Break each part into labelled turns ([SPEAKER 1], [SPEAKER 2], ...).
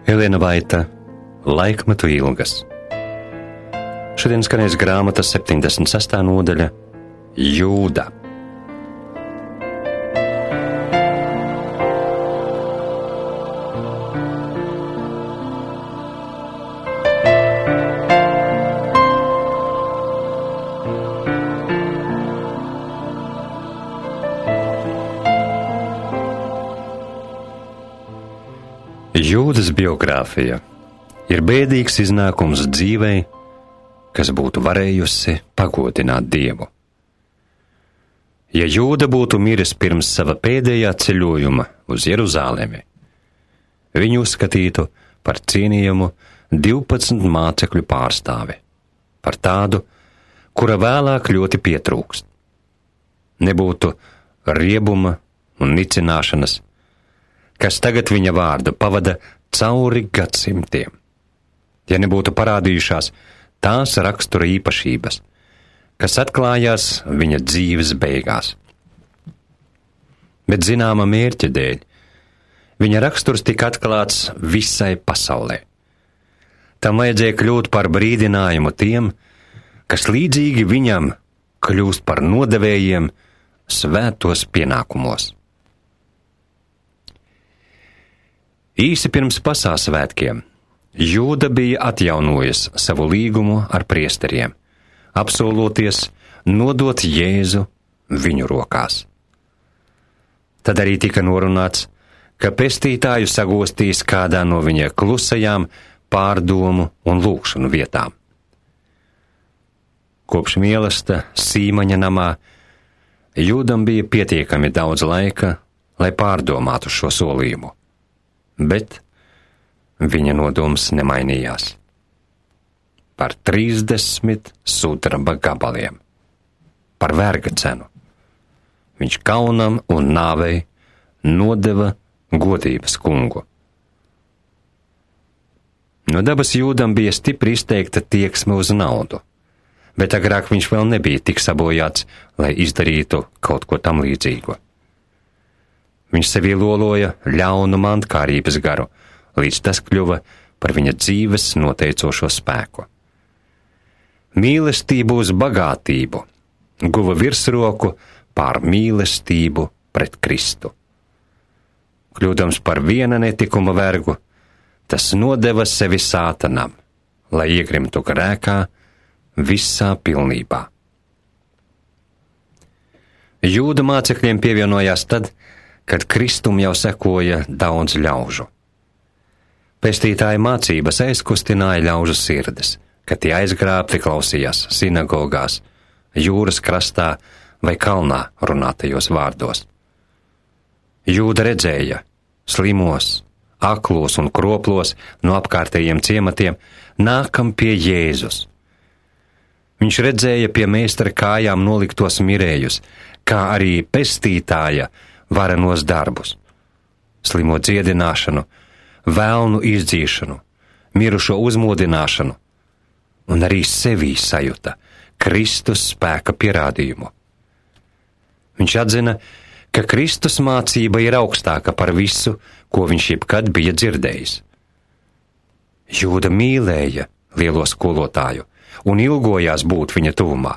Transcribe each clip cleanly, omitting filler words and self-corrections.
[SPEAKER 1] Elena Vaita, Laikmetu ilgas. Šodien skanēs grāmatas 76. nodaļa Jūda. Jūdas biogrāfija ir bēdīgs iznākums dzīvei, kas būtu varējusi pagodināt Dievu. Ja Jūda būtu miris pirms sava pēdējā ceļojuma uz Jeruzalemi, viņu uzskatītu par cienījamu 12 mācekļu pārstāvi, par tādu, kura vēlāk ļoti pietrūkst. Nebūtu riebuma un nicināšanas, kas tagad viņa vārdu pavada cauri gadsimtiem, ja nebūtu parādījušās tās rakstura īpašības, kas atklājās viņa dzīves beigās. Bet zināma mērķa dēļ viņa raksturs tika atklāts visai pasaulē. Tam vajadzēja kļūt par brīdinājumu tiem, kas līdzīgi viņam kļūst par nodevējiem svētos pienākumos. Īsi pirms Pasāsvētkiem Jūda bija atjaunojis savu līgumu ar priesteriem, apsoloties nodot Jēzu viņu rokās. Tad arī tika norunāts, ka pestītāju sagostīs kādā no viņa klusajām pārdomu un lūgšanu vietām. Kopš mīlesta Sīmaņa namā Jūdam bija pietiekami daudz laika, lai pārdomātu šo solījumu. Bet viņa nodoms nemainījās. Par 30 sudraba gabaliem. Par verga cenu. Viņš kaunam un nāvei nodeva godības kungu. No dabas Jūdam bija stipri izteikta tieksme uz naudu, bet agrāk viņš vēl nebija tik sabojāts, lai izdarītu kaut ko tam līdzīgu. Viņš sevī loloja ļaunu mantkārības garu, līdz tas kļuva par viņa dzīves noteicošo spēku. Mīlestību uz bagātību guva virsroku pār mīlestību pret Kristu. Kļūdams par viena netikuma vergu, tas nodeva sevi sātanam, lai iegrimtu grēkā visā pilnībā. Jūda mācekļiem pievienojās tad, kad Kristum jau sekoja daudz ļaužu. Pestītāja mācības aizkustināja ļaužu sirdis, kad tie aizgrābti klausījās sinagogās, jūras krastā vai kalnā runātajos vārdos. Jūda redzēja slimos, aklos un kroplos no apkārtējiem ciematiem nākam pie Jēzus. Viņš redzēja pie meistara kājām noliktos mirējus, kā arī pestītāja varenos darbus, slimo dziedināšanu, vēlnu izdzīšanu, mirušo uzmodināšanu, un arī sevī sajuta Kristus spēka pierādījumu. Viņš atzina, ka Kristus mācība ir augstāka par visu, ko viņš jebkad bija dzirdējis. Jūda mīlēja lielo skolotāju un ilgojās būt viņa tuvumā.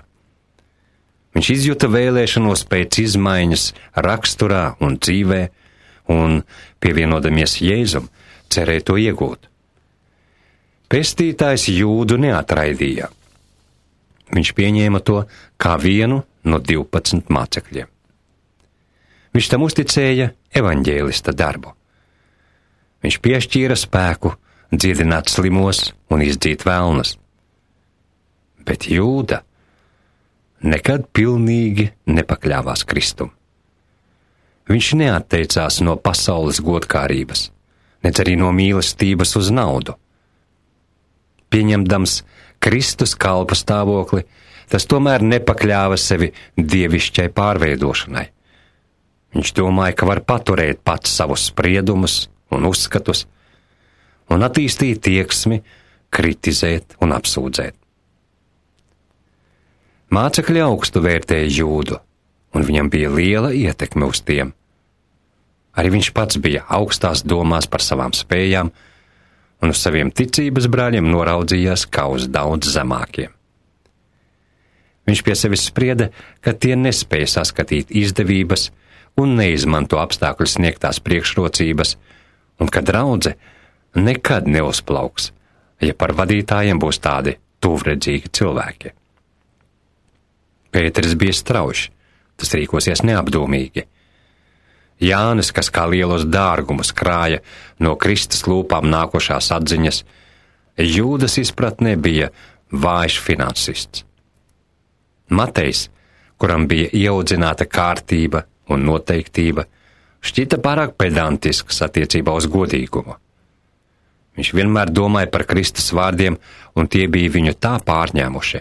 [SPEAKER 1] Viņš izjuta vēlēšanos pēc izmaiņas raksturā un dzīvē, un, pievienodamies Jēzum, cerēja to iegūt. Pestītājs Jūdu neatraidīja. Viņš pieņēma to kā vienu no 12 mācekļiem. Viņš tam uzticēja evaņģēlista darbu. Viņš piešķīra spēku dziedināt slimos un izdzīt vēlnas. Bet Jūda nekad pilnīgi nepakļāvās Kristum. Viņš neatteicās no pasaules godkārības, nec arī no mīlestības uz naudu. Pieņemdams Kristus kalpa stāvokli, tas tomēr nepakļāva sevi dievišķai pārveidošanai. Viņš domāja, ka var paturēt pats savus spriedumus un uzskatus un attīstīt tieksmi, kritizēt un apsūdzēt. Mācekļi augstu vērtēja Jūdu, un viņam bija liela ietekme uz tiem. Arī viņš pats bija augstās domās par savām spējām un uz saviem ticības brāļiem noraudzījās kā uz daudz zemākiem. Viņš pie sevis sprieda, ka tie nespēja saskatīt izdevības un neizmanto apstākļu sniegtās priekšrocības, un ka draudze nekad neuzplauks, ja par vadītājiem būs tādi tuvredzīgi cilvēki. Pēteris bija strauji, tas rīkosies neapdomīgi. Jānis, kas kā lielos dārgumus krāja no Kristus lūpām nākošās atziņas, Jūdas izpratnē bija vājš finansists. Matejs, kuram bija ieaudzināta kārtība un noteiktība, šķita pārāk pedantisks attiecībā uz godīgumu. Viņš vienmēr domāja par Kristus vārdiem, un tie bija viņu tā pārņēmuši,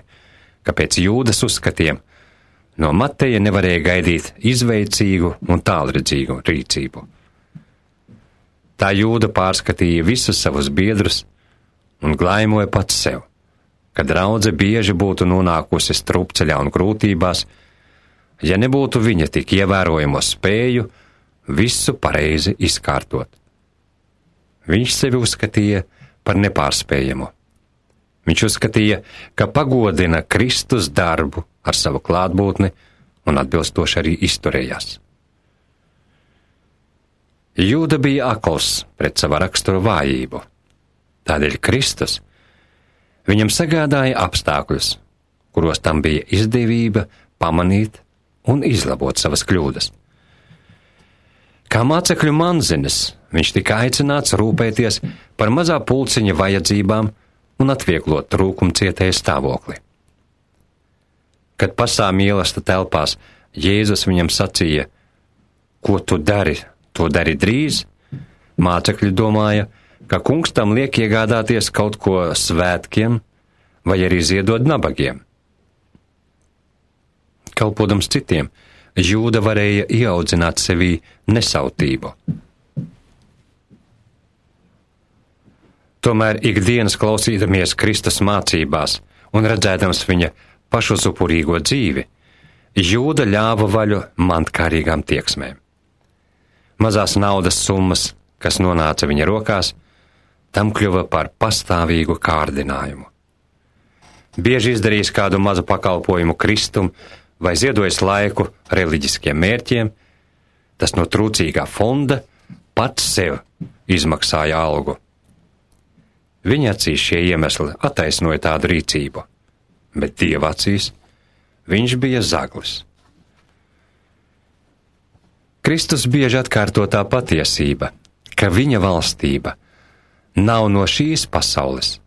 [SPEAKER 1] ka pēc Jūdas uzskatiem no Mateja nevarēja gaidīt izveicīgu un tālredzīgu rīcību. Tā Jūda pārskatīja visus savus biedrus un glaimoja pats sev, ka draudze bieži būtu nonākusi strupceļā un grūtībās, ja nebūtu viņa tik ievērojamo spēju visu pareizi izkārtot. Viņš sevi uzskatīja par nepārspējamu. Viņš uzskatīja, ka pagodina Kristus darbu ar savu klātbūtni un atbilstoši arī izturējās. Jūda bija akls pret sava rakstura vājību. Tādēļ Kristus viņam sagādāja apstākļus, kuros tam bija izdevība pamanīt un izlabot savas kļūdas. Kā mācekļu manzinis, viņš tika aicināts rūpēties par mazā pulciņa vajadzībām un atvieglot trūkumcietēja stāvokli. Kad pasā mīlesta telpās Jēzus viņam sacīja, ko tu dari, to dari drīz, mācekļi domāja, ka kungs tam liek iegādāties kaut ko svētkiem vai arī ziedot nabagiem. Kalpodams citiem, Jūda varēja ieaudzināt sevī nesautību. Tomēr ikdienas klausīdamies Kristus mācībās un redzēdams viņa pašuzupurīgo dzīvi, Jūda ļāva vaļu mantkārīgām tieksmēm. Mazās naudas summas, kas nonāca viņa rokās, tam kļuva par pastāvīgu kārdinājumu. Bieži izdarījis kādu mazu pakalpojumu Kristum vai ziedojis laiku reliģiskiem mērķiem, tas no trūcīgā fonda pats sev izmaksāja algu. Viņa acīs šie iemesli attaisnoja tādu rīcību, bet Dieva acīs viņš bija zaglis. Kristus bieži atkārto tā patiesība, ka viņa valstība nav no šīs pasaules.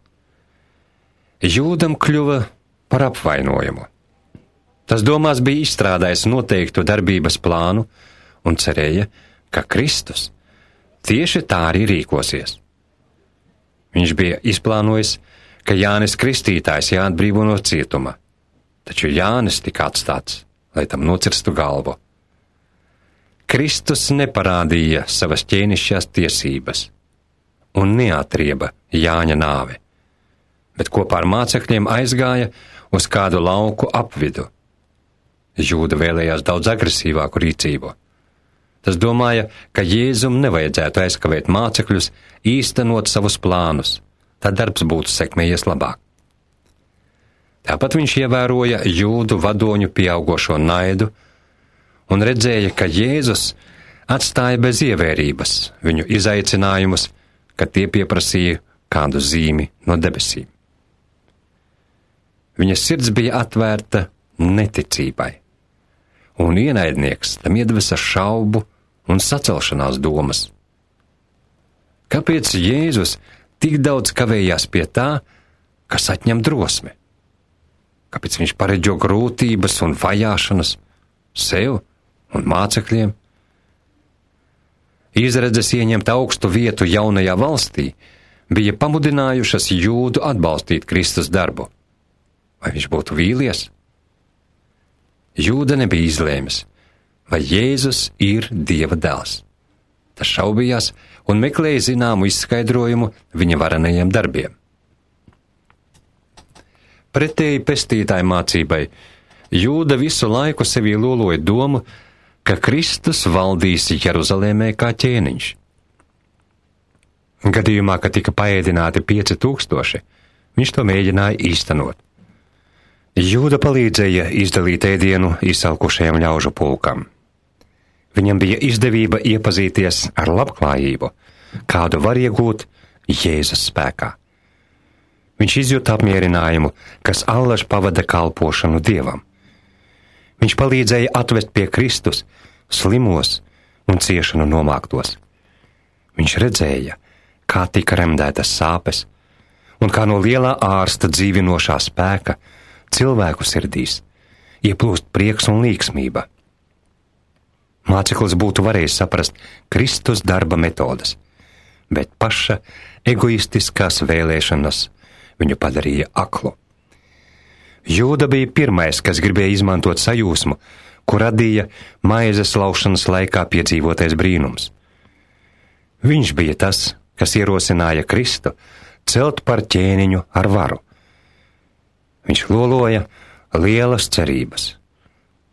[SPEAKER 1] Jūdam kļuva par apvainojumu. Tas domās bija izstrādājis noteiktu darbības plānu un cerēja, ka Kristus tieši tā arī rīkosies. Viņš bija izplānojis, ka Jānis Kristītājs jāatbrīvo no cietuma, taču Jānis tika atstāts, lai tam nocirstu galvu. Kristus neparādīja savas ķēnišķās tiesības un neatrieba Jāņa nāvi, bet kopā ar mācekļiem aizgāja uz kādu lauku apvidu. Jūda vēlējās daudz agresīvāku rīcību. Tas domāja, ka Jēzum nevajadzētu aizkavēt mācekļus īstenot savus plānus, tad darbs būtu sekmējies labāk. Tāpat viņš ievēroja Jūdu vadoņu pieaugošo naidu un redzēja, ka Jēzus atstāja bez ievērības viņu izaicinājumus, kad tie pieprasīja kādu zīmi no debesīm. Viņa sirds bija atvērta neticībai, un ienaidnieks tam iedvesa šaubu un sacelšanās domas. Kāpēc Jēzus tik daudz kavējās pie tā, kas atņem drosmi? Kāpēc viņš paredžo grūtības un vajāšanas sev un mācekļiem? Izredzes ieņemt augstu vietu jaunajā valstī bija pamudinājušas Jūdu atbalstīt Kristus darbu. Vai viņš būtu vīlies? Jūda nebija izlēmis, vai Jēzus ir Dieva dēls. Tas šaubījās un meklēja zināmu izskaidrojumu viņa varenajiem darbiem. Pretēji pestītāju mācībai, Jūda visu laiku sevī loloja domu, ka Kristus valdīs Jeruzalēmē kā ķēniņš. Gadījumā, kad tika paēdināti 5000, viņš to mēģināja īstenot. Jūda palīdzēja izdalīt ēdienu izsalkušajam ļaužu pulkam. Viņam bija izdevība iepazīties ar labklājību, kādu var iegūt Jēzus spēkā. Viņš izjūta apmierinājumu, kas allaž pavada kalpošanu Dievam. Viņš palīdzēja atvest pie Kristus slimos un ciešanu nomāktos. Viņš redzēja, kā tika remdētas sāpes, un kā no lielā ārsta dzīvinošā spēka cilvēku sirdīs ieplūst prieks un līgsmība. Māceklis būtu varējis saprast Kristus darba metodas, bet paša egoistiskās vēlēšanas viņu padarīja aklu. Jūda bija pirmais, kas gribēja izmantot sajūsmu, ko radīja maizes laušanas laikā piedzīvotais brīnums. Viņš bija tas, kas ierosināja Kristu celt par ķēniņu ar varu. Viņš loloja lielas cerības,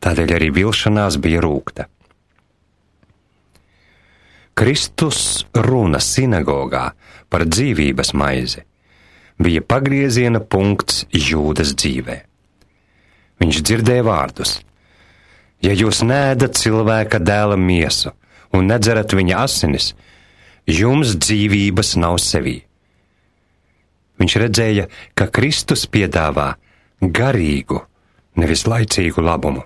[SPEAKER 1] tādēļ arī vilšanās bija rūgta. Kristus runa sinagogā par dzīvības maizi bija pagrieziena punkts Jūdas dzīvē. Viņš dzirdēja vārdus: ja jūs neēdat cilvēka dēla miesu un nedzerat viņa asinis, jums dzīvības nav sevī. Viņš redzēja, ka Kristus piedāvā garīgu, nevis laicīgu labumu.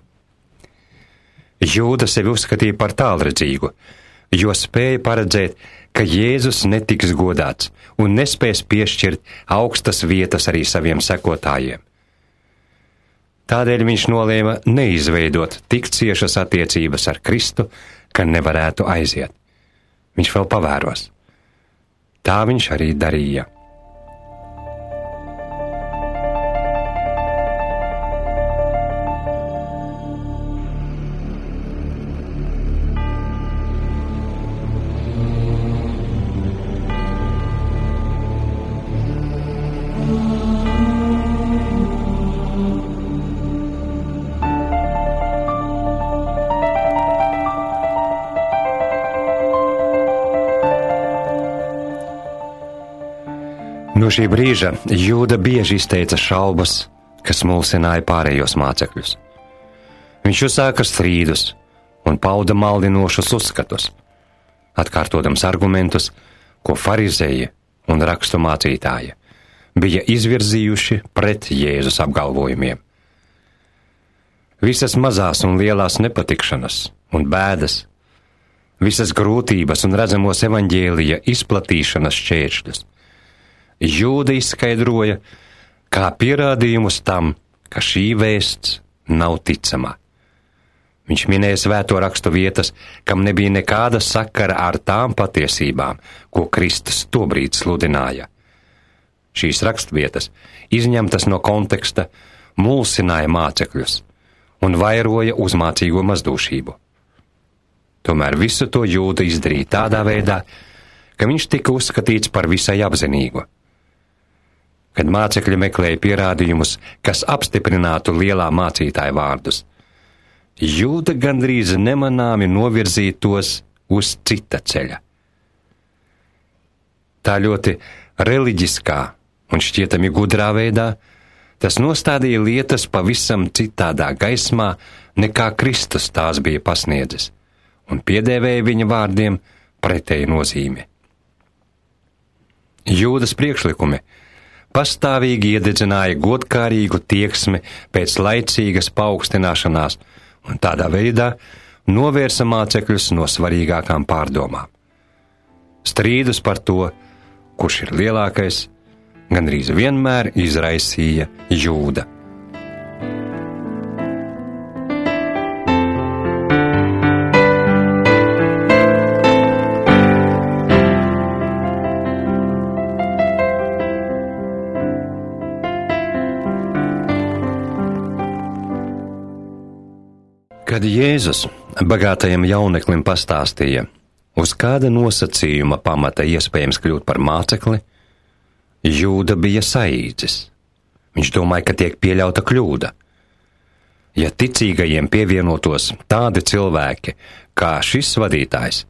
[SPEAKER 1] Jūda sevi uzskatīja par tālredzīgu, jo spēja paredzēt, ka Jēzus netiks godāts un nespēs piešķirt augstas vietas arī saviem sekotājiem. Tādēļ viņš nolēma neizveidot tik ciešas attiecības ar Kristu, ka nevarētu aiziet. Viņš vēl pavēros. Tā viņš arī darīja. No šī brīža Jūda bieži izteica šaubas, kas mulsināja pārējos mācekļus. Viņš uzsāka strīdus un pauda maldinošus uzskatus, atkārtodams argumentus, ko farizēji un rakstu mācītāji bija izvirzījuši pret Jēzus apgalvojumiem. Visas mazās un lielās nepatikšanas un bēdas, visas grūtības un redzamos evaņģēlija izplatīšanas šķēršļus Jūda izskaidroja kā pierādījumus tam, ka šī vēsts nav ticama. Viņš minēja svēto rakstu vietas, kam nebija nekāda sakara ar tām patiesībām, ko Kristus tobrīd sludināja. Šīs rakstvietas, izņemtas no konteksta, mulsināja mācekļus un vairoja uzmācīgo mazdūšību. Tomēr visu to Jūda izdarīja tādā veidā, ka viņš tika uzskatīts par visai apzinīgu. Kad mācekļi meklēja pierādījumus, kas apstiprinātu lielā mācītāja vārdus, Jūda gandrīz nemanāmi novirzīja tos uz cita ceļa. Tā ļoti reliģiskā un šķietami gudrā veidā tas nostādīja lietas pavisam citādā gaismā, nekā Kristus tās bija pasniedzis, un piedēvēja viņa vārdiem pretēju nozīmi. Jūdas priekšlikumi pastāvīgi iededzināja godkārīgu tieksmi pēc laicīgas paaugstināšanās un tādā veidā novērsa mācekļus no svarīgākām pārdomām. Strīdus par to, kurš ir lielākais, gandrīz vienmēr izraisīja Jūda. Kad Jēzus bagātajam jauneklim pastāstīja, uz kāda nosacījuma pamata iespējams kļūt par mācekli, Jūda bija saīdzis. Viņš domāja, ka tiek pieļauta kļūda. Ja ticīgajiem pievienotos tādi cilvēki kā šis vadītājs,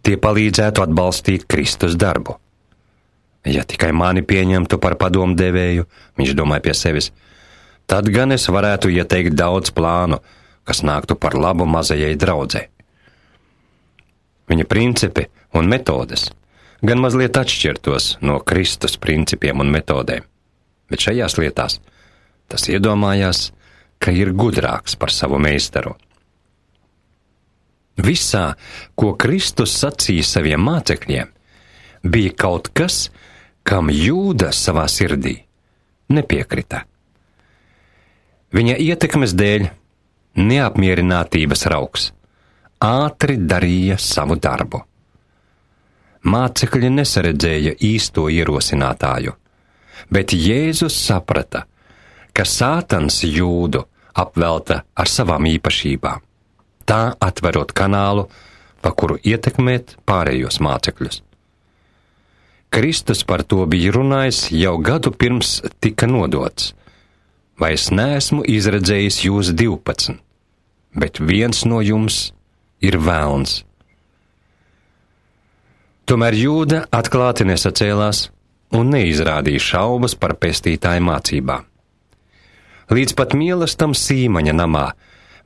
[SPEAKER 1] tie palīdzētu atbalstīt Kristus darbu. Ja tikai mani pieņemtu par padomdevēju, viņš domāja pie sevis, tad gan es varētu ieteikt daudz plānu, kas nāktu par labu mazajai draudzei. Viņa principi un metodes gan mazliet atšķirtos no Kristus principiem un metodēm, bet šajās lietās tas iedomājās, ka ir gudrāks par savu meistaru. Visā, ko Kristus sacīja saviem mācekļiem, bija kaut kas, kam Jūda savā sirdī nepiekrita. Viņa ietekmes dēļ neapmierinātības rauks ātri darīja savu darbu. Mācekļi nesaredzēja īsto ierosinātāju, bet Jēzus saprata, ka Sātans Jūdu apvelta ar savām īpašībām, tā atverot kanālu, pa kuru ietekmēt pārējos mācekļus. Kristus par to bija runājis jau gadu pirms tika nodots. Vai es neesmu izredzējis jūs 12, bet viens no jums ir velns. Tomēr Jūda atklāti nesacēlās un neizrādīja šaubas par pestītāju mācībām. Līdz pat mīlestam Sīmaņa namā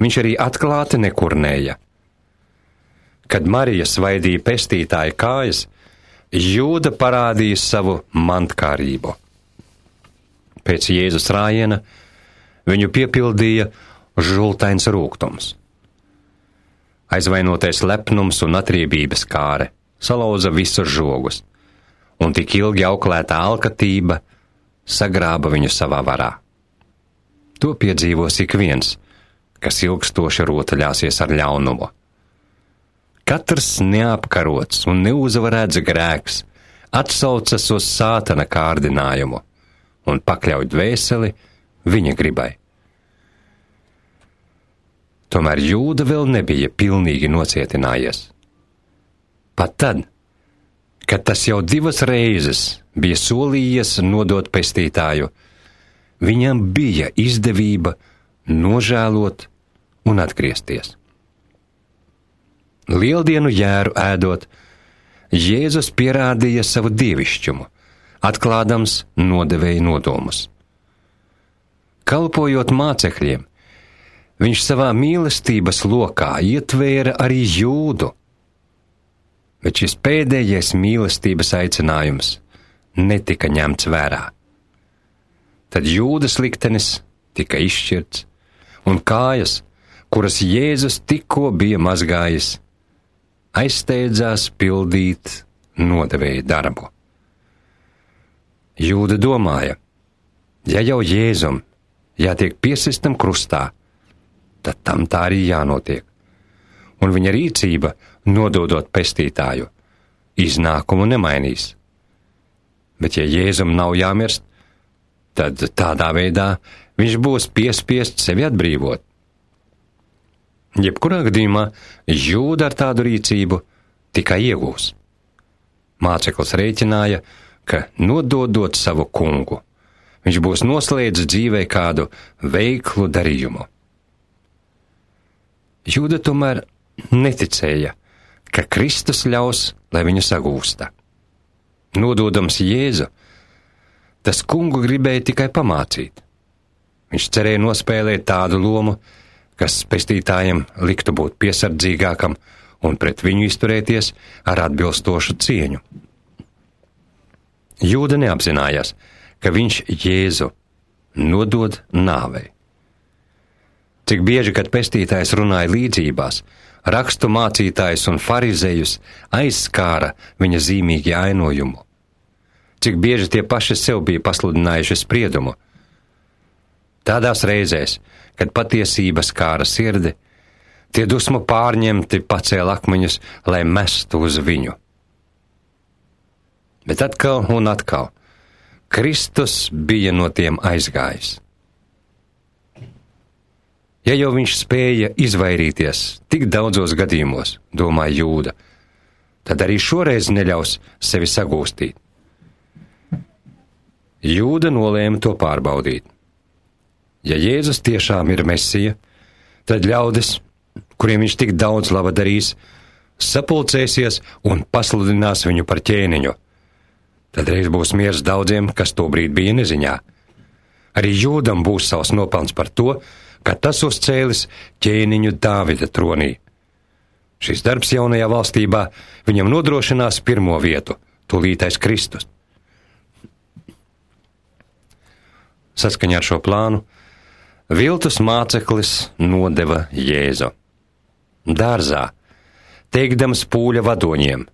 [SPEAKER 1] viņš arī atklāti nekurnēja. Kad Marija svaidīja pestītāja kājas, Jūda parādīja savu mantkārību. Pēc Jēzus rājiena viņu piepildīja žultains rūgtums. Aizvainotais lepnums un atriebības kāre salauza visus žogus, un tik ilgi auklētā alkatība sagrāba viņu savā varā. To piedzīvos ik viens, kas ilgstoši rotaļāsies ar ļaunumu. Katrs neapkarots un neuzvarēts grēks atsaucas uz Sātana kārdinājumu un pakļauj dvēseli viņa gribai. Tomēr Jūda vēl nebija pilnīgi nocietinājies. Pat tad, kad tas jau 2 reizes bija solījies nodot pestītāju, viņam bija izdevība nožēlot un atgriezties. Lieldienu jēru ēdot, Jēzus pierādīja savu dievišķumu, atklādams nodevēja nodomus. Kalpojot mācekļiem, viņš savā mīlestības lokā ietvēra arī Jūdu, bet šis pēdējais mīlestības aicinājums netika ņemts vērā. Tad Jūdas liktenis tika izšķirts, un kājas, kuras Jēzus tikko bija mazgājis, aizsteidzās pildīt nodevēja darbu. Jūda domāja, ja jau Jēzum jātiek piesistam krustā, tad tam tā arī jānotiek, un viņa rīcība, nododot pestītāju, iznākumu nemainīs. Bet ja Jēzum nav jāmirst, tad tādā veidā viņš būs piespiests sevi atbrīvot. Jebkurā gadījumā Jūda ar tādu rīcību tikai iegūs. Māceklis rēķināja, ka nododot savu kungu, viņš būs noslēdzis dzīvē kādu veiklu darījumu. Jūda tomēr neticēja, ka Kristus ļaus, lai viņu sagūsta. Nododams Jēzu, tas kungu gribēja tikai pamācīt. Viņš cerēja nospēlēt tādu lomu, kas pestītājiem liktu būt piesardzīgākam un pret viņu izturēties ar atbilstošu cieņu. Jūda neapzinājās, ka viņš Jēzu nodod nāvei. Cik bieži, kad pestītājs runāja līdzībās, rakstu mācītājus un farizejus aizskāra viņa zīmīgi ainojumu. Cik bieži tie paši sev bija pasludinājuši spriedumu. Tādās reizēs, kad patiesība skāra sirdi, tie dusmu pārņemti pacēla akmeņus, lai mestu uz viņu. Bet atkal un atkal Kristus bija no tiem aizgājis. Ja jau viņš spēja izvairīties tik daudzos gadījumos, domāja Jūda, tad arī šoreiz neļaus sevi sagūstīt. Jūda nolēma to pārbaudīt. Ja Jēzus tiešām ir Mesija, tad ļaudis, kuriem viņš tik daudz laba darīs, sapulcēsies un pasludinās viņu par ķēniņu. Tad reiz būs miers daudziem, kas tobrīd bija neziņā. Arī Jūdam būs savs nopelns par to, ka tas uzcēlis ķēniņu Dāvida tronī. Šis darbs jaunajā valstībā viņam nodrošinās pirmo vietu, tūlītais Kristus. Saskaņā ar šo plānu viltus māceklis nodeva Jēzu dārzā, teikdams pūļa vadoņiem: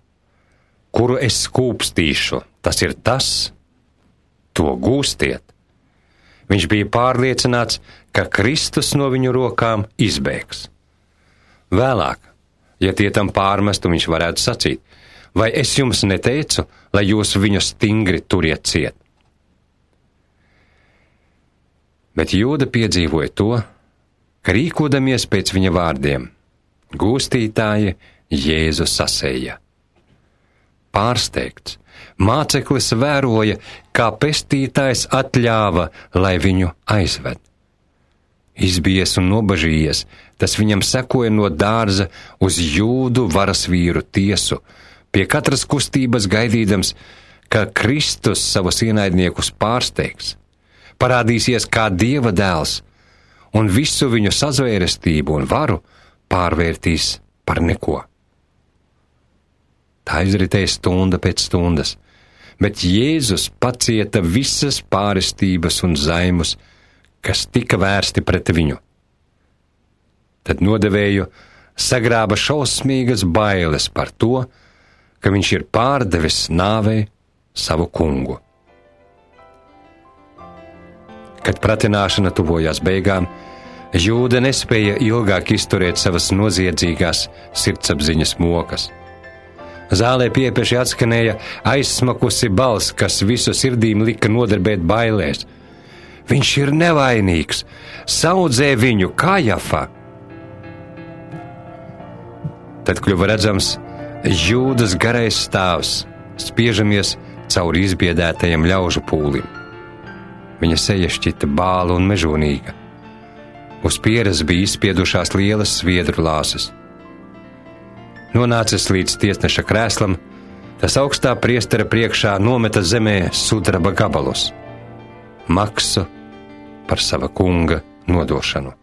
[SPEAKER 1] kuru es skūpstīšu, tas ir tas, to gūstiet. Viņš bija pārliecināts, ka Kristus no viņu rokām izbēgs. Vēlāk, ja tie tam pārmestu, viņš varētu sacīt: vai es jums neteicu, lai jūs viņu stingri turiet ciet? Bet Jūda piedzīvoja to, ka rīkodamies pēc viņa vārdiem, gūstītāji Jēzu sasēja. Pārsteigts, māceklis vēroja, kā pestītājs atļāva, lai viņu aizved. Izbijies un nobažījies, tas viņam sekoja no dārza uz Jūdu varasvīru tiesu, pie katras kustības gaidīdams, ka Kristus savus ienaidniekus pārsteigs, parādīsies kā Dieva dēls un visu viņu sazvērestību un varu pārvērtīs par neko. Tā izritēja stunda pēc stundas, bet Jēzus pacieta visas pārestības un zaimus, kas tika vērsti pret viņu. Tad nodevēju sagrāba šausmīgas bailes par to, ka viņš ir pārdevis nāvei savu kungu. Kad pratināšana tuvojās beigām, Jūda nespēja ilgāk izturēt savas noziedzīgās sirdsapziņas mokas. Zālē piepieši atskanēja aizsmakusi balss, kas visu sirdīm lika nodarbēt bailēs. Viņš ir nevainīgs, saudzē viņu Kajafa. Tad kļuva redzams Jūdas garais stāvs, spiežamies cauri izbiedētajam ļaužu pūlim. Viņa seja šķita bāla un mežonīga. Uz pieres bija izspiedušās lielas sviedru lāses. Nonācis līdz tiesneša krēslam, tas augstā priestera priekšā nometa zemē sudraba gabalus, maksu par sava kunga nodošanu.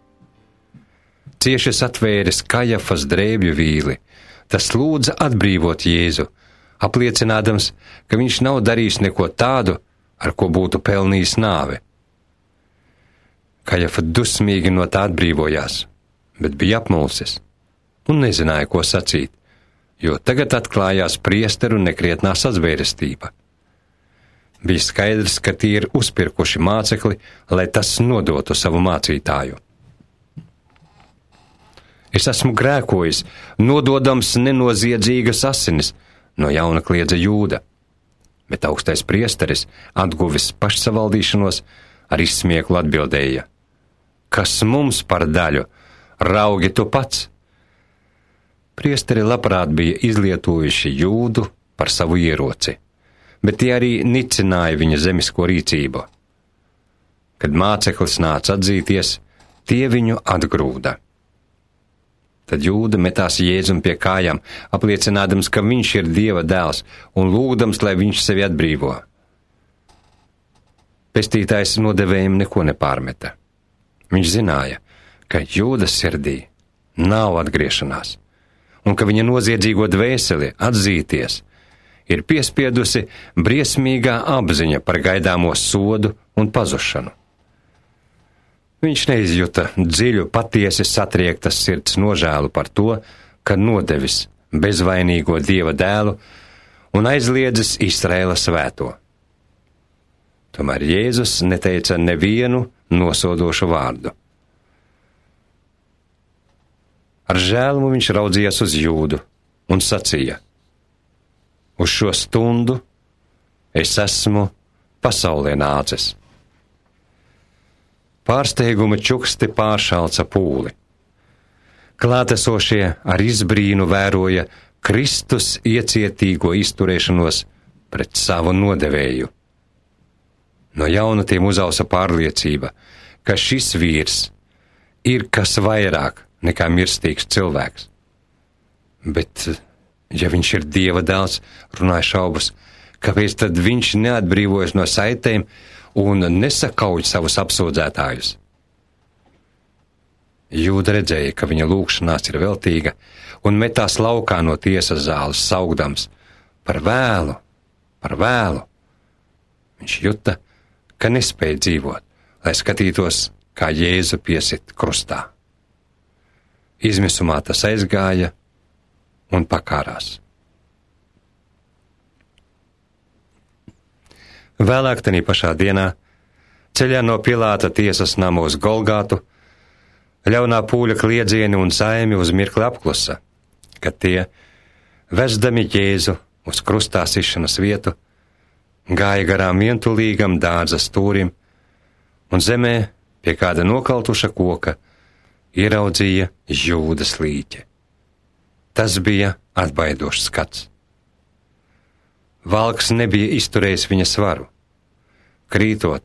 [SPEAKER 1] Cieši satvēris Kajafas drēbju vīli, tas lūdza atbrīvot Jēzu, apliecinādams, ka viņš nav darījis neko tādu, ar ko būtu pelnījis nāvi. Kajafa dusmīgi no tā atbrīvojās, bet bija apmulsis un nezināja, ko sacīt, jo tagad atklājās priesteru nekrietnā sazvērestība. Bija skaidrs, ka tie ir uzpirkuši mācekli, lai tas nodotu savu mācītāju. Es esmu grēkojis, nododams nenoziedzīgas asinis, no jauna kliedza Jūda. Bet augstais priesteris, atguvis pašsavaldīšanos, ar izsmieklu atbildēja: kas mums par daļu, raugi tu pats? Priesteri labprāt bija izlietojuši Jūdu par savu ieroci, bet tie arī nicināja viņa zemisko rīcību. Kad māceklis nāca atzīties, tie viņu atgrūda. Tad Jūda metās Jēzum pie kājām, apliecinādams, ka viņš ir Dieva dēls un lūgdams, lai viņš sevi atbrīvo. Pestītājs nodevējiem neko nepārmeta. Viņš zināja, ka Jūdas sirdī nav atgriešanās un ka viņa noziedzīgo dvēseli atzīties ir piespiedusi briesmīgā apziņa par gaidāmo sodu un pazušanu. Viņš neizjuta dziļu, patiesi satriektas sirds nožēlu par to, ka nodevis bezvainīgo Dieva dēlu un aizliedzis Izraēla svēto. Tomēr Jēzus neteica nevienu nosodošu vārdu. Ar žēlumu viņš raudzījās uz Jūdu un sacīja: uz šo stundu es esmu pasaulē nācis. Pārsteiguma čuksti pāršalca pūli. Klātesošie ar izbrīnu vēroja Kristus iecietīgo izturēšanos pret savu nodevēju. No jauna tiem uzausa pārliecība, ka šis vīrs ir kas vairāk nekā mirstīgs cilvēks. Bet, ja viņš ir Dieva dēls, runāja šaubas, Kāpēc tad viņš neatbrīvojas no saitēm un nesakauj savus apsūdzētājus? Jūda redzēja, ka viņa lūgšanās ir veltīga, un metās laukā no tiesas zāles, saugdams: par vēlu, par vēlu. Viņš juta, ka nespēja dzīvot, lai skatītos, kā Jēzu piesit krustā. Izmisumā tas aizgāja un pakārās. Vēlāk tajā pašā dienā, ceļā no Pilāta tiesas namu uz Golgātu, ļaunā pūļa kliedzieni un saimi uz mirkli apklusa, kad tie, vesdami Jēzu uz krustā sišanas vietu, gāja garām vientulīgam dārza stūrim, un zemē pie kāda nokaltuša koka ieraudzīja Jūdas līķi. Tas bija atbaidošs skats. Valks nebija izturējis viņa svaru. Krītot,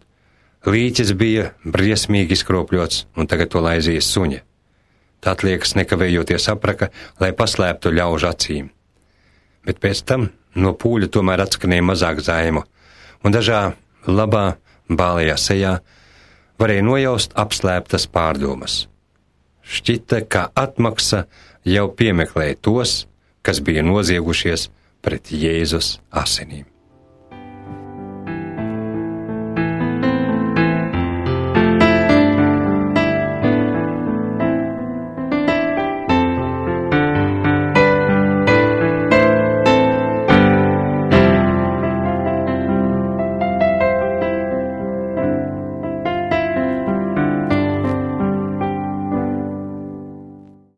[SPEAKER 1] līķis bija briesmīgi izkropļots, un tagad to laizīja suņa. Tā atliekas nekavējoties apraka, lai paslēptu ļaužu acīm. Bet pēc tam no pūļa tomēr atskanēja mazāk zaimu, un dažā labā, bālajā sejā varēja nojaust apslēptas pārdomas. Šķita, ka atmaksa jau piemeklēja tos, kas bija noziegušies pret Jēzus asinīm.